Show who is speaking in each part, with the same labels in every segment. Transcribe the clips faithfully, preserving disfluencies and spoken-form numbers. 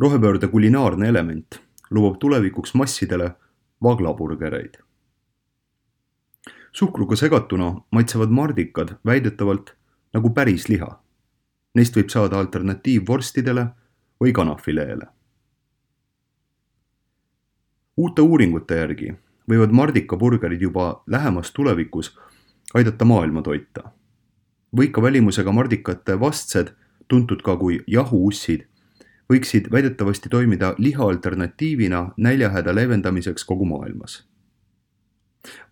Speaker 1: Rohepöörde kulinaarne element lubab tulevikuks massidele vaglaburgereid. Suhkruga segatuna maitsevad mardikad väidetavalt nagu päris liha. Neist võib saada alternatiiv vorstidele või kanafileele. Uute uuringute järgi võivad mardikaburgerid juba lähemas tulevikus aidata maailma toita. Võika välimusega mardikate vastsed, tuntud ka kui jahuussid, võiksid väidetavasti toimida liha alternatiivina näljahäda leevendamiseks kogu maailmas.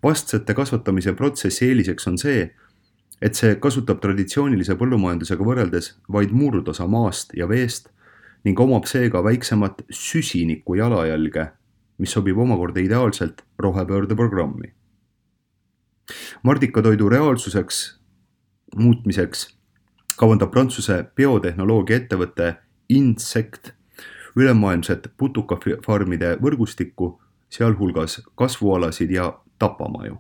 Speaker 1: Vastsete kasvatamise protsessi eeliseks on see, et see kasutab traditsioonilise põllumajandusega võrreldes vaid murdosa maast ja veest ning omab seega väiksemat süsiniku jalajälge, mis sobib omakorda ideaalselt rohepöörde programmi. Mardikatoidu reaalsuseks muutmiseks kavandab Prantsuse biotehnoloogia ettevõte Insect ülemaailmset putukafarmide võrgustikku, sealhulgas kasvualasid ja tapamaju.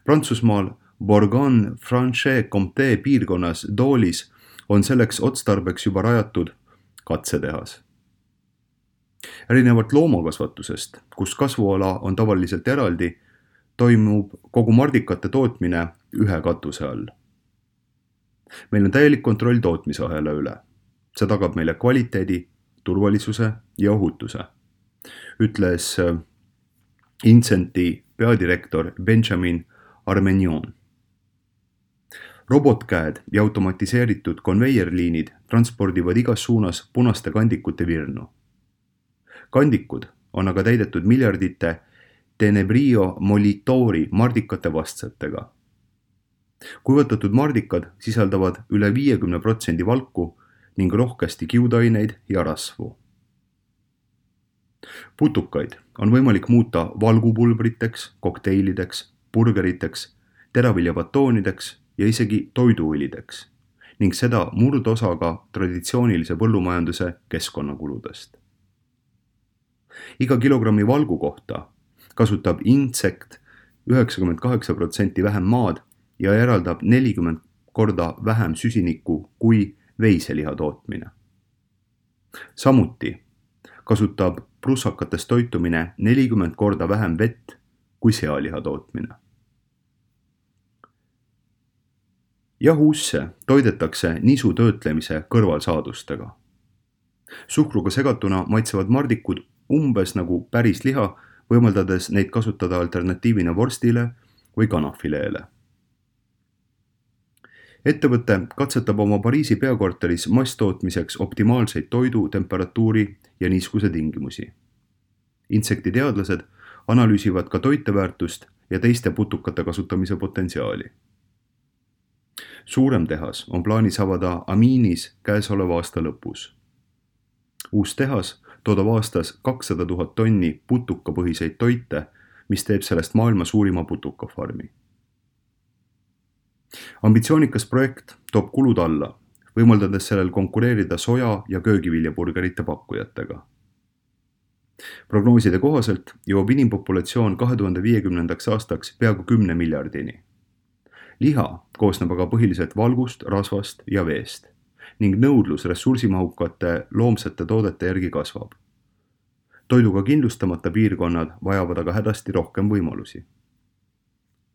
Speaker 1: Prantsusmaal Bourgogne-Franche-Comté piirkonnas Doolis on selleks otstarbeks juba rajatud katsetehas. Erinevalt loomakasvatusest, kus kasvuala on tavaliselt eraldi, toimub kogu mardikate tootmine ühe katuse all. Meil on täielik kontroll tootmisahela üle. See tagab meile kvaliteedi, turvalisuse ja ohutuse, ütles Incenti peadirektor Benjamin Armenion. Robotkäed ja automatiseeritud konveierliinid transpordivad igas suunas punaste kandikute virnu. Kandikud on aga täidetud miljardite Tenebrio Molitori mardikate vastsetega. Kuivatatud mardikad sisaldavad üle viiekümne protsendi valku ning rohkesti kiudaineid ja rasvu. Putukaid on võimalik muuta valgupulbriteks, kokteilideks, burgeriteks, teraviljabatoonideks ja isegi toiduõlideks ning seda murdosaga traditsioonilise põllumajanduse keskkonnakuludest. Iga kilogrammi valgu kohta kasutab Insect üheksakümmend kaheksa protsenti vähem maad ja eraldab nelikümmend korda vähem süsinikku kui veiseliha tootmine. Samuti kasutab prussakates toitumine nelikümmend korda vähem vett kui sealiha tootmine. Jahuusse toidetakse nisu töötlemise kõrvalsaadustega. Suhkruga segatuna maitsevad mardikud umbes nagu päris liha, võimaldades neid kasutada alternatiivina vorstile või kanafileele. Ettevõte katsetab oma Pariisi peakorteris masstootmiseks optimaalseid toidu, temperatuuri ja niiskuse tingimusi. Insekti teadlased analüüsivad ka toiteväärtust ja teiste putukate kasutamise potentsiaali. Suurem tehas on plaanis avada Aminis käesoleva aasta lõpus. Uus tehas toodab aastas kakssada tuhat tonni putukapõhiseid toite, mis teeb sellest maailma suurima putukafarmi. Ambitsioonikas projekt toob kulud alla, võimaldades sellel konkureerida soja- ja köögiviljaburgerite pakkujatega. Prognooside kohaselt jõuab inimpopulatsioon kahe tuhande viiekümnendaks aastaks peaaegu kümne miljardini. Liha koosneb aga põhiliselt valgust, rasvast ja veest ning nõudlus ressursimahukate loomsete toodete järgi kasvab. Toiduga kindlustamata piirkonnad vajavad aga hädasti rohkem võimalusi.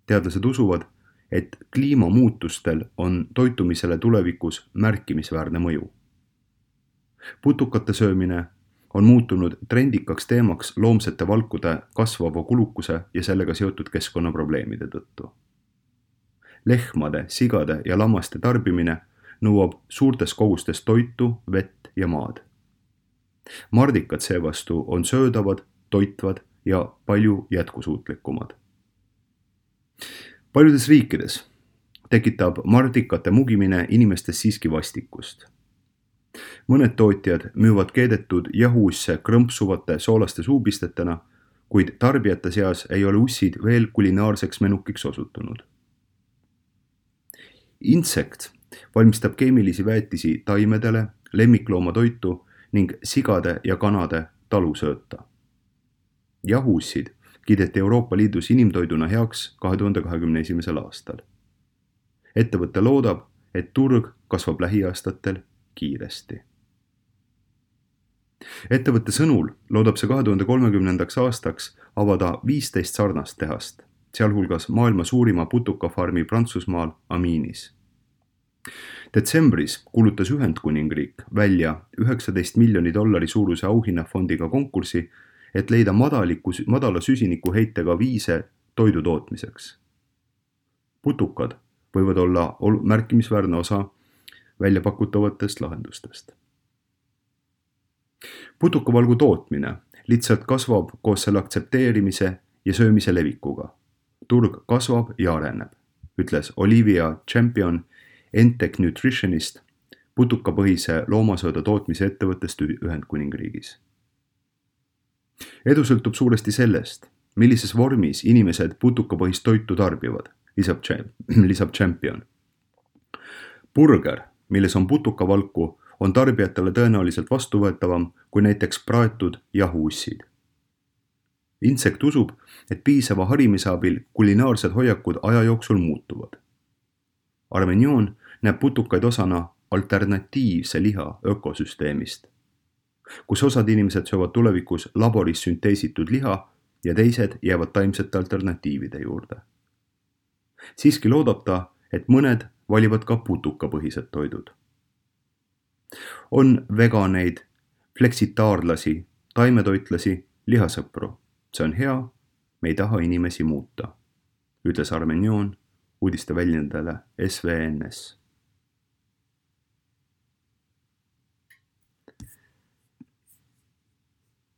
Speaker 1: Teadlased usuvad, et kliimamuutustel on toitumisele tulevikus märkimisväärne mõju. Putukate söömine on muutunud trendikaks teemaks loomsete valkude kasvava kulukuse ja sellega seotud keskkonnaprobleemide tõttu. Lehmade, sigade ja lammaste tarbimine nõuab suurtes kogustes toitu, vett ja maad. Mardikad seevastu on söödavad, toitvad ja palju jätkusuutlikumad. Paljudes riikides tekitab mardikate mugimine inimestes siiski vastikust. Mõned tootjad müüvad keedetud jahuusse krõmpsuvate soolaste suupistetena, kuid tarbijate seas ei ole ussid veel kulinaarseks menukiks osutunud. Insect valmistab keemilisi väetisi taimedele, lemmikloomatoitu ning sigade ja kanade talusööta. Jahuussid kiideti Euroopa Liidus inimtoiduna heaks kahe tuhande kahekümne esimesel aastal. Ettevõte loodab, et turg kasvab lähiaastatel kiiresti. ettevõtte sõnul loodab see kahe tuhande kolmekümnendaks aastaks avada viisteist sarnast tehast, sealhulgas maailma suurima putukafarmi Prantsusmaal Aminis. Detsembris kuulutas Ühendkuningriik välja üheksateist miljoni dollari suuruse auhinnafondiga konkursi, et leida madaliku, madala süsinikuheitega viise toidu tootmiseks. Putukad võivad olla märkimisväärne osa väljapakutavatest lahendustest. Putukavalgu tootmine lihtsalt kasvab koos selle aktsepteerimise ja söömise levikuga. Turg kasvab ja areneb, ütles Olivia Champion Entec Nutritionist, putukapõhise loomasööda tootmise ettevõttest Ühendkuningriigis. Edu sõltub suuresti sellest, millises vormis inimesed putukapõhist toitu tarbivad, lisab, lisab Champion. Burger, milles on putukavalku, on tarbijatele tõenäoliselt vastuvõetavam kui näiteks praetud jahuussid. Insekt usub, et piisava harimise abil kulinaarsed hoiakud aja jooksul muutuvad. Armenion näeb putukaid osana alternatiivse liha ökosüsteemist, kus osad inimesed söövad tulevikus laboris sünteesitud liha ja teised jäävad taimsete alternatiivide juurde. Siiski loodab ta, et mõned valivad ka putukapõhised toidud. On veganeid, fleksitaarlasi, taimetoitlasi, lihasõpru. See on hea, me ei taha inimesi muuta, ütles Armenion uudiste väljendajale S V N S.